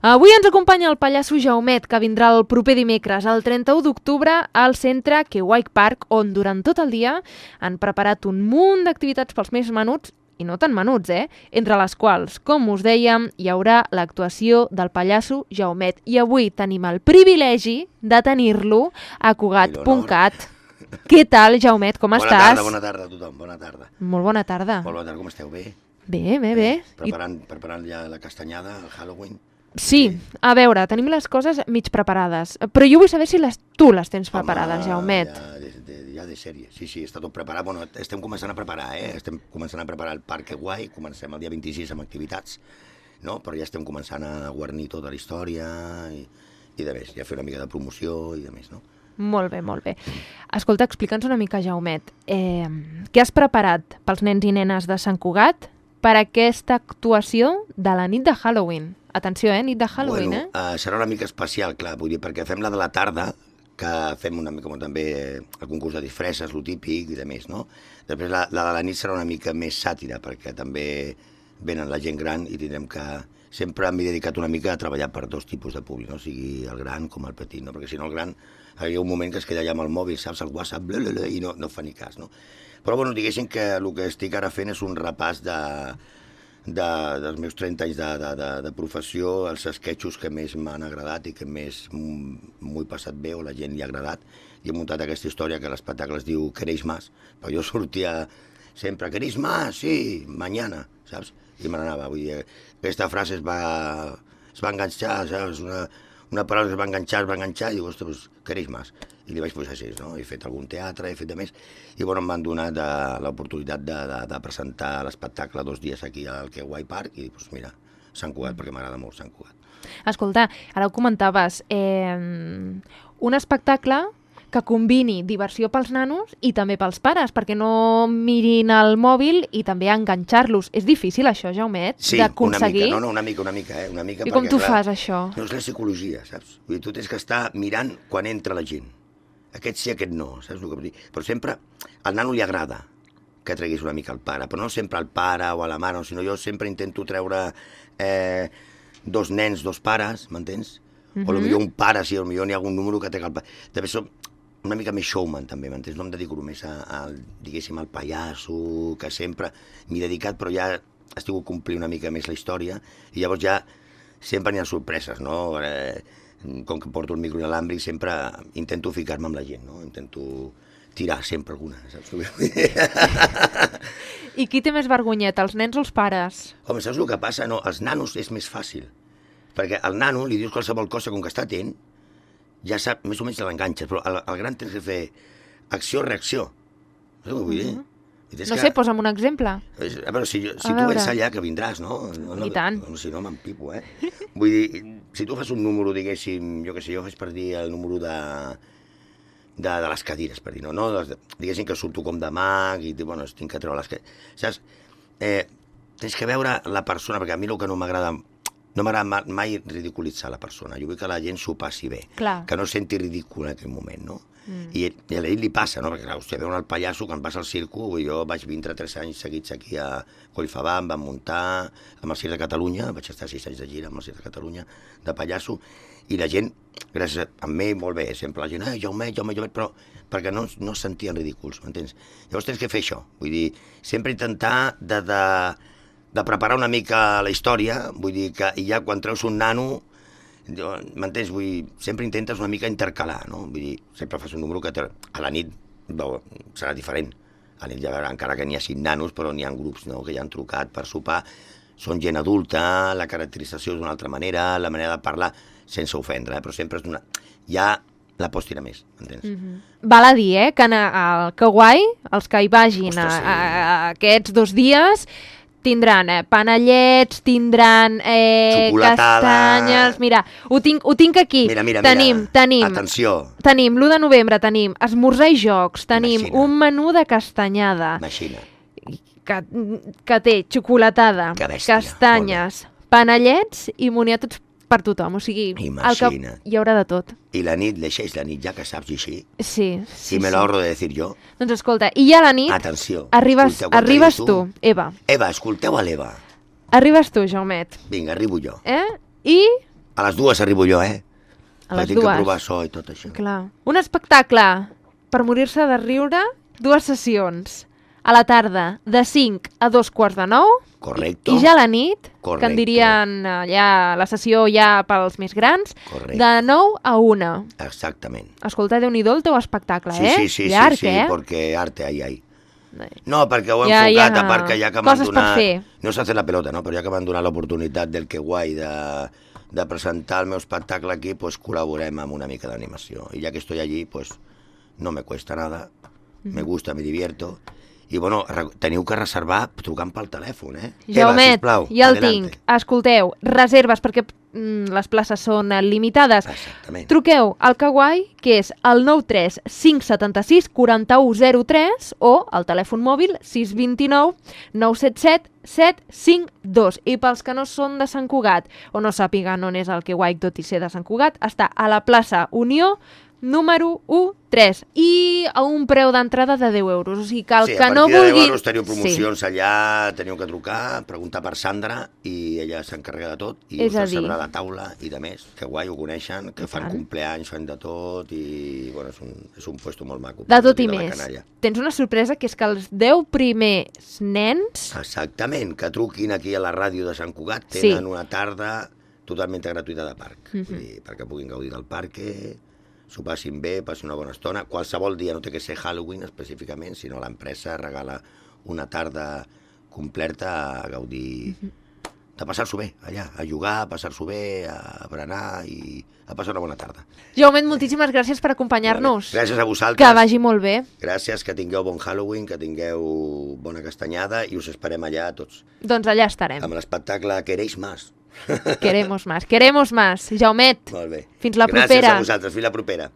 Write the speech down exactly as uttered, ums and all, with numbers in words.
Avui ens acompanya el pallasso Jaumet, que vindrà el proper dimecres, el trenta-u d'octubre, al centre Kewai Park, on durant tot el dia han preparat un munt d'activitats pels més menuts, i no tan menuts, eh? Entre les quals, com us dèiem, hi haurà l'actuació del pallasso Jaumet. I avui tenim el privilegi de tenir-lo a Cugat punt cat. Què tal, Jaumet? Com bona estàs? Tarda, bona tarda a tothom, bona tarda. Molt bona tarda. Molt bona tarda, com esteu? Bé? Bé, bé, bé. Preparant, I... preparant ja la castanyada, el Halloween. Sí, a veure, tenim les coses mig preparades, però jo vull saber si les, tu les tens preparades, Home, Jaumet. Ja de, de, ja de sèrie, sí, sí, està tot preparat. Bueno, estem començant a preparar, eh? Estem començant a preparar el Parc Kewai, comencem el dia vint-i-sis amb activitats, no? Però ja estem començant a guarnir tota la història i, i de més, ja fer una mica de promoció i de més, no? Molt bé, molt bé. Escolta, explica'ns una mica, Jaumet, eh, què has preparat pels nens i nenes de Sant Cugat per aquesta actuació de la nit de Halloween? Atenció, eh? Nit de Halloween, bueno, eh? Uh, serà una mica especial, clar, vull dir, perquè fem la de la tarda, que fem una mica com també el concurs de disfresses, lo típic i de més, no? Després la, la de la nit serà una mica més sàtira, perquè també venen la gent gran i tindrem que... Sempre m'he dedicat una mica a treballar per dos tipus de públic, no? O sigui, el gran com el petit, no? Perquè si no el gran hi ha un moment que es queda allà amb el mòbil, saps, el WhatsApp, blablabla, i no, no fa ni cas, no? Però, bueno, diguéssim que el que estic ara fent és un repàs de... De, dels meus trenta anys de, de, de, de professió, els esquetxos que més m'han agradat i que més m'ho he passat bé o la gent li ha agradat. I he muntat aquesta història que l'espectacle es diu Queréis más, però jo sortia sempre, Queréis más, sí, mañana, saps? I me n'anava, vull dir, aquesta frase es va, es va enganxar, saps? Una, una paraula que es va enganxar, es va enganxar, i dic, ostres, pues, Queréis más. I li vaig posar així, no? He fet algun teatre, he fet de més, i bueno, em van donar l'oportunitat de, de, de presentar l'espectacle dos dies aquí al Kewai Park, i doncs mira, Sant Cugat, perquè m'agrada molt Sant Cugat. Escolta, ara ho comentaves, eh, un espectacle que combini diversió pels nanos i també pels pares, perquè no mirin el mòbil i també enganxar-los. És difícil això, Jaumet, sí, d'aconseguir? Sí, una mica, no, no, una mica, una mica, eh? Una mica. I com perquè, tu clar, fas, això? No és la psicologia, saps? Vull dir, tu tens que estar mirant quan entra la gent. Aquest sí, aquest no, saps el que vull dir? Però sempre al nano li agrada que treguis una mica el pare, però no sempre al pare o a la mare, sinó jo sempre intento treure eh, dos nens, dos pares, m'entens? Uh-huh. O potser un pare, sí, potser n'hi ha algun número que trec el pare. També som una mica més showman, també, m'entens? No em dedico només a, a, diguéssim, al pallasso, que sempre m'he dedicat, però ja estic complint una mica més la història, i llavors ja sempre n'hi ha sorpreses, no? Eh, com que porto el micro inalàmbric, sempre intento ficar-me amb la gent, no? Intento tirar sempre alguna, saps? I qui té més vergonyeta, els nens o els pares? Home, saps el que passa? No, els nanos és més fàcil, perquè al nano li dius qualsevol cosa, com que està atent, ja sap, més o menys l'enganxes, però al, al gran tens que fer acció-reacció. Saps què vull dir? Uh-huh. No sé, posa'm un exemple. A veure, si, jo, si tu vens allà, que vindràs, no? no, no I tant. No, si no, m'empipo, eh? Vull dir, si tu fas un número, diguéssim, jo què sé, jo faig per dir el número de, de, de les cadires, per dir, no? no de, diguéssim que surto com de mag i, bueno, tinc que treure les cadires. Saps? Eh, tens que veure la persona, perquè a mi el que no m'agrada, no m'agrada mai ridiculitzar la persona. Jo vull que la gent s'ho passi bé. Clar. Que no senti ridícul en aquell moment, no? Mm. I, i a ell li passa, no? Perquè, clar, hòstia, veuen el pallasso, quan passa al circo, jo vaig vint-i-tres anys seguits aquí a Collfabà, em van muntar amb el Circ de Catalunya, vaig estar sis anys de gira amb el Circ de Catalunya, de pallasso, i la gent, gràcies a mi, molt bé, sempre la gent, eh, Jaumet, Jaumet, Jaumet, però perquè no, no es sentien ridículs, m'entens? Llavors tens que fer això, vull dir, sempre intentar de, de, de preparar una mica la història, vull dir que i ja quan treus un nano, m'entens? Vull dir, sempre intentes una mica intercalar, no? Vull dir, sempre fas un número que a la nit no, serà diferent. A la nit ja veurà, encara que n'hi ha cinc nanos, però n'hi ha grups, no?, que ja han trucat per sopar. Són gent adulta, la caracterització és d'una altra manera, la manera de parlar, sense ofendre, eh? Però sempre és d'una... Ja la pots tirar més, m'entens? Mm-hmm. Val a dir, eh, que al Kewai, els que hi vagin Ostres, sí. a, a, a aquests dos dies... Tindran eh, panellets, tindran eh, castanyes... Mira, ho tinc, ho tinc aquí. Mira, mira, tenim, mira. Tenim, Atenció. Tenim l'u de novembre, tenim esmorzar i jocs, tenim Imagina. un menú de castanyada. Imagina. Que, que té xocolatada, que bèstia, castanyes, panellets i moniatos per tothom. O sigui, imagina. El que hi haurà de tot. I la nit, l'eixeix la nit, ja que saps i així. Sí, sí. I me sí. l'ahorro de decir jo. Doncs escolta, i ja a la nit... Atenció. Arribes, arribes tu, tu, Eva. Eva, escolteu a l'Eva. Arribes tu, Jaumet. Vinga, arribo jo. Eh? I A les dues arribo jo, eh? A les tinc dues. que provar so i tot això. Clar. Un espectacle per morir-se de riure, dues sessions. A la tarda, de cinc a dos quarts de nou. Correcto. I ja a la nit, Correcto. que en dirien eh, ja la sessió ja pels més grans, Correcte. de nou a una. Exactament. Escolta, Déu-n'hi-do el teu espectacle, Sí, eh? sí, sí, Llarg, sí, sí, eh? porque arte ahí hay. No, perquè ho he Ja, enfocat, ja. a part que ja que m'han Coses per donat... fer. No s'ha fet la pelota, no? Però ja que m'han donat l'oportunitat del Que Guai de, de presentar el meu espectacle aquí, pues col·laborem amb una mica d'animació. I ja que estoy allí, pues no me cuesta nada, me gusta, me divierto. I bueno, re- teniu que reservar trucant pel telèfon, eh? Jaumet, sisplau, ja el adelante. tinc. Escolteu, reserves, perquè mm, les places són eh, limitades. Exactament. Truqueu al Kawaii, que és el nou tres cinc set sis quatre u zero tres o al telèfon mòbil sis dos nou nou set set set cinc dos. I pels que no són de Sant Cugat o no sàpiguen on és el Kawaii, tot i ser de Sant Cugat, està a la plaça Unió, número u tres, i a un preu d'entrada de deu euros. O sigui que el Sí, que a no partir de vulgui... deu euros teniu promocions allà, teniu que trucar, preguntar per Sandra i ella s'encarrega de tot i És us a dir- reservarà la taula i de més. Que guai, ho coneixen, que fan tant. compleanys, fan de tot i bueno, és un, és un puesto molt maco. De per tot i dir la més. canalla. Tens una sorpresa, que és que els deu primers nens... Exactament, que truquin aquí a la ràdio de Sant Cugat, Sí. tenen una tarda totalment gratuïta de parc, Mhm. vull dir, perquè puguin gaudir del parc, s'ho passin bé, passin una bona estona. Qualsevol dia, no té que ser Halloween específicament, sinó l'empresa regala una tarda completa a gaudir, de passar-s'ho bé allà, a jugar, a passar-s'ho bé, a berenar i a passar una bona tarda. Jaumet, moltíssimes gràcies per acompanyar-nos. Gràcies a vosaltres. Que vagi molt bé. Gràcies, que tingueu bon Halloween, que tingueu bona castanyada i us esperem allà tots. Doncs allà estarem. Amb l'espectacle Queréis Más. Queremos más. Queremos más. Jaumet, Molt bé. fins la Gràcies propera. a vosaltres. Fins la propera.